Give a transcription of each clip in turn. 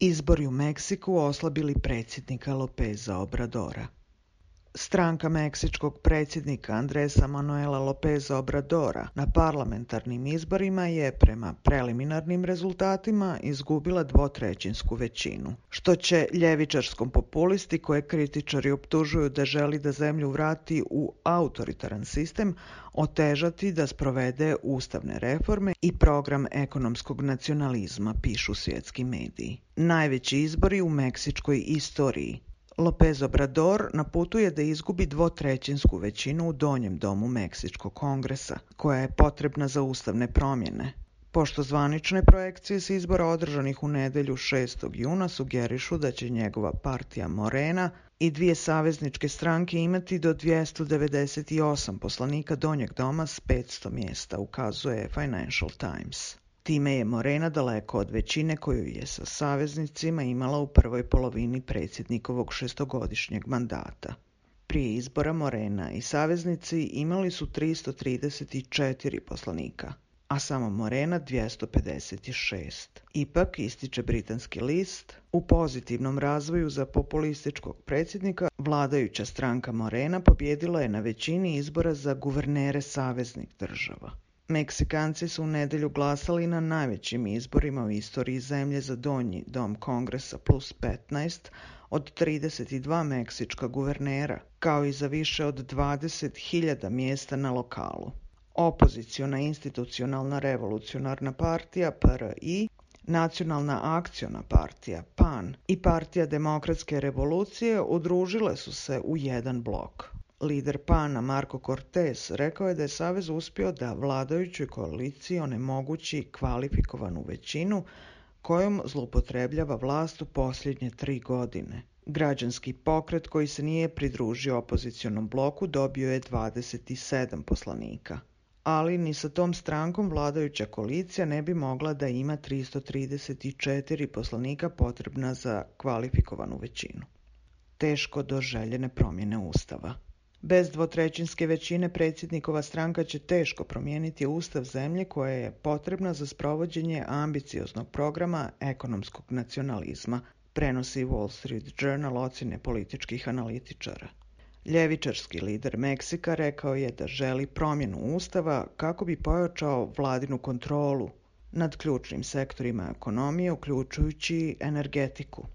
Izbori u Meksiku oslabili predsjednika Lopeza Obradora. Stranka meksičkog predsjednika Andresa Manuela Lopeza Obradora na parlamentarnim izborima je prema preliminarnim rezultatima izgubila dvotrećinsku većinu, što će ljevičarskom populisti koje kritičari optužuju da želi da zemlju vrati u autoritaran sistem otežati da sprovede ustavne reforme i program ekonomskog nacionalizma, pišu svjetski mediji. Najveći izbori u meksičkoj istoriji. Lopez Obrador na putu je da izgubi dvotrećinsku većinu u donjem domu Meksičkog kongresa, koja je potrebna za ustavne promjene. Pošto zvanične projekcije s izbora održanih u nedjelju 6. juna sugerišu da će njegova partija Morena i dvije savezničke stranke imati do 298 poslanika donjeg doma s 500 mjesta, ukazuje Financial Times. Time je Morena daleko od većine koju je sa saveznicima imala u prvoj polovini predsjednikovog šestogodišnjeg mandata. Prije izbora Morena i saveznici imali su 334 poslanika, a samo Morena 256. Ipak, ističe britanski list, u pozitivnom razvoju za populističkog predsjednika vladajuća stranka Morena pobijedila je na većini izbora za guvernere saveznih država. Meksikanci su u nedjelju glasali na najvećim izborima u istoriji zemlje za donji dom kongresa plus 15 od 32 meksička guvernera, kao i za više od 20.000 mjesta na lokalu. Opoziciona institucionalna revolucionarna partija PRI, Nacionalna akciona partija PAN i Partija demokratske revolucije udružile su se u jedan blok. Lider PAN-a Marko Cortés rekao je da je savez uspio da vladajućoj koaliciji onemogući kvalifikovanu većinu kojom zloupotrebljava vlast u posljednje 3 godine. Građanski pokret koji se nije pridružio opozicionom bloku dobio je 27 poslanika. Ali ni sa tom strankom vladajuća koalicija ne bi mogla da ima 334 poslanika potrebna za kvalifikovanu većinu. Teško do željene promjene ustava. Bez dvotrećinske većine predsjednikova stranka će teško promijeniti ustav zemlje koja je potrebna za sprovođenje ambicioznog programa ekonomskog nacionalizma, prenosi Wall Street Journal ocjene političkih analitičara. Ljevičarski lider Meksika rekao je da želi promjenu ustava kako bi pojačao vladinu kontrolu nad ključnim sektorima ekonomije, uključujući energetiku.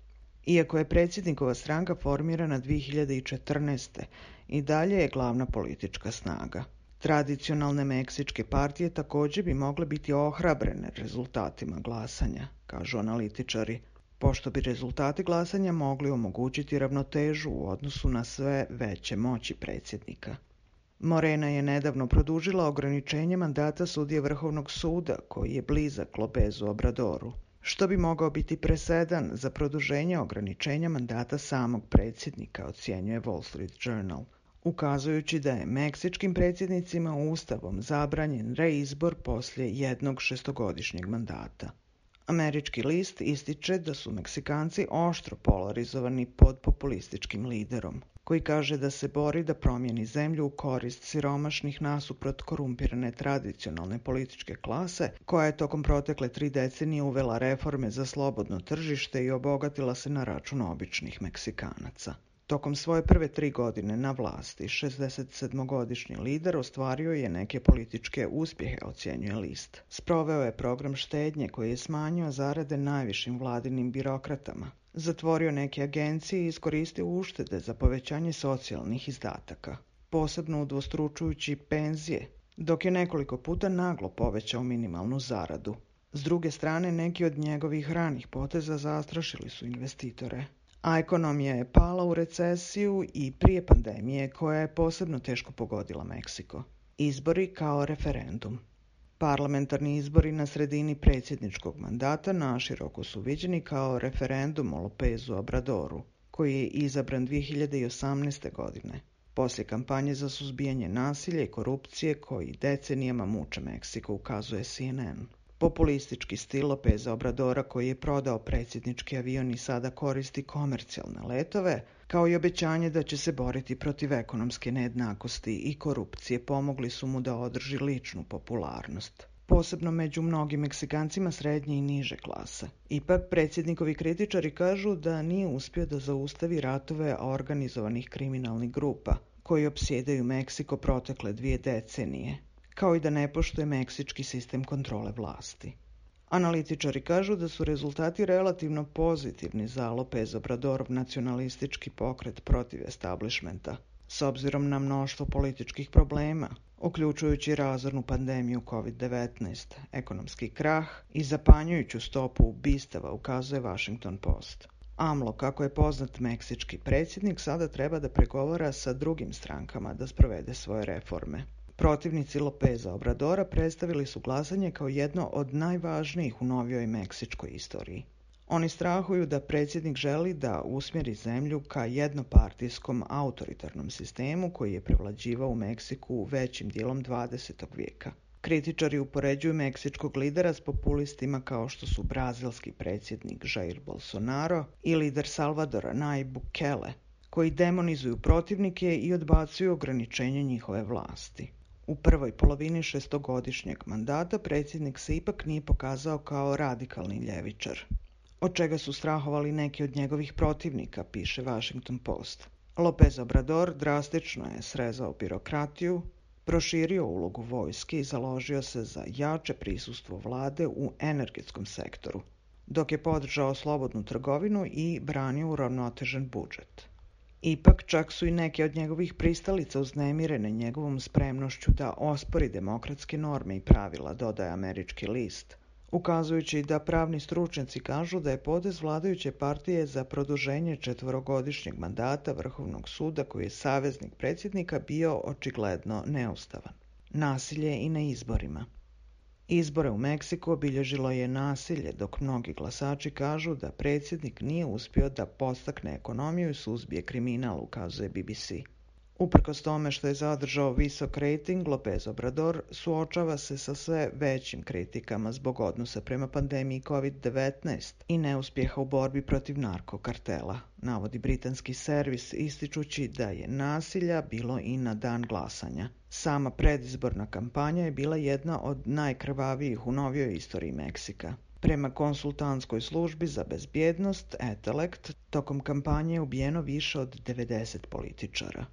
Iako je predsjednikova stranka formirana 2014. i dalje je glavna politička snaga. Tradicionalne meksičke partije također bi mogle biti ohrabrene rezultatima glasanja, kažu analitičari, pošto bi rezultati glasanja mogli omogućiti ravnotežu u odnosu na sve veće moći predsjednika. Morena je nedavno produžila ograničenje mandata sudije Vrhovnog suda, koji je blizak Lopezu Obradoru, što bi mogao biti presedan za produženje ograničenja mandata samog predsjednika, ocjenjuje Wall Street Journal, ukazujući da je meksičkim predsjednicima ustavom zabranjen reizbor poslije jednog šestogodišnjeg mandata. Američki list ističe da su Meksikanci oštro polarizovani pod populističkim liderom, koji kaže da se bori da promijeni zemlju u korist siromašnih nasuprot korumpirane tradicionalne političke klase, koja je tokom protekle 3 decenije uvela reforme za slobodno tržište i obogatila se na račun običnih Meksikanaca. Tokom svoje prve 3 godine na vlasti, 67-godišnji lider ostvario je neke političke uspjehe, ocjenjuje list. Sproveo je program štednje koji je smanjio zarade najvišim vladinim birokratama, zatvorio neke agencije i iskoristio uštede za povećanje socijalnih izdataka, posebno udvostručujući penzije, dok je nekoliko puta naglo povećao minimalnu zaradu. S druge strane, neki od njegovih ranih poteza zastrašili su investitore, a ekonomija je pala u recesiju i prije pandemije koja je posebno teško pogodila Meksiko. Izbori kao referendum. Parlamentarni izbori na sredini predsjedničkog mandata naširoko su viđeni kao referendum o Lopezu Obradoru, koji je izabran 2018. godine, poslije kampanje za suzbijanje nasilja i korupcije koji decenijama muče Meksiko, ukazuje CNN. Populistički stil Lopeza Obradora, koji je prodao predsjednički avion i sada koristi komercijalne letove, kao i obećanje da će se boriti protiv ekonomske nejednakosti i korupcije, pomogli su mu da održi ličnu popularnost. posebno među mnogim Meksikancima srednje i niže klase. Ipak, predsjednikovi kritičari kažu da nije uspio da zaustavi ratove organizovanih kriminalnih grupa koji opsjedaju Meksiko protekle 2 decenije, kao i da ne poštuje meksički sistem kontrole vlasti. Analitičari kažu da su rezultati relativno pozitivni za López Obradorov nacionalistički pokret protiv establishmenta, s obzirom na mnoštvo političkih problema, uključujući razornu pandemiju COVID-19, ekonomski krah i zapanjujuću stopu ubistava, ukazuje Washington Post. AMLO, kako je poznat meksički predsjednik, sada treba da pregovara sa drugim strankama da sprovede svoje reforme. Protivnici Lópeza Obradora predstavili su glasanje kao jedno od najvažnijih u novijoj meksičkoj istoriji. Oni strahuju da predsjednik želi da usmjeri zemlju ka jednopartijskom autoritarnom sistemu koji je prevlađivao u Meksiku većim dijelom 20. vijeka. Kritičari upoređuju meksičkog lidera s populistima kao što su brazilski predsjednik Jair Bolsonaro i lider Salvadora Nayib Bukele, koji demonizuju protivnike i odbacuju ograničenje njihove vlasti. U prvoj polovini 6-godišnjeg mandata predsjednik se ipak nije pokazao kao radikalni ljevičar, od čega su strahovali neki od njegovih protivnika, piše Washington Post. López Obrador drastično je srezao birokratiju, proširio ulogu vojske i založio se za jače prisustvo vlade u energetskom sektoru, dok je podržao slobodnu trgovinu i branio uravnotežen budžet. Ipak, čak su i neke od njegovih pristalica uznemirene njegovom spremnošću da ospori demokratske norme i pravila, dodaje američki list, ukazujući da pravni stručnjaci kažu da je potez vladajuće partije za produženje 4-godišnjeg mandata Vrhovnog suda, koji je saveznik predsjednika, bio očigledno neustavan. Nasilje i na izborima. Izbore u Meksiku obilježilo je nasilje, dok mnogi glasači kažu da predsjednik nije uspio da podstakne ekonomiju i suzbije kriminal, ukazuje BBC. Uprkos tome što je zadržao visok rejting, López Obrador suočava se sa sve većim kritikama zbog odnosa prema pandemiji COVID-19 i neuspjeha u borbi protiv narkokartela, navodi britanski servis, ističući da je nasilja bilo i na dan glasanja. Sama predizborna kampanja je bila jedna od najkrvavijih u novijoj istoriji Meksika. Prema konsultantskoj službi za bezbjednost Etelect, tokom kampanje je ubijeno više od 90 političara.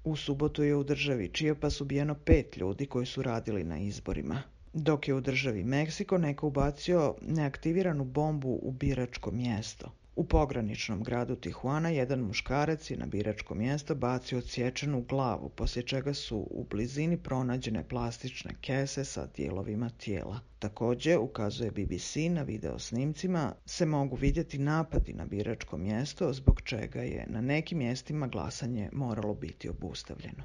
U subotu je u državi Chiapas ubijeno 5 ljudi koji su radili na izborima, dok je u državi Meksiko neko ubacio neaktiviranu bombu u biračko mjesto. U pograničnom gradu Tijuana jedan muškarac je na biračko mjesto bacio odsječenu glavu, poslije čega su u blizini pronađene plastične kese sa dijelovima tijela. Također, ukazuje BBC, na video snimcima se mogu vidjeti napadi na biračko mjesto, zbog čega je na nekim mjestima glasanje moralo biti obustavljeno.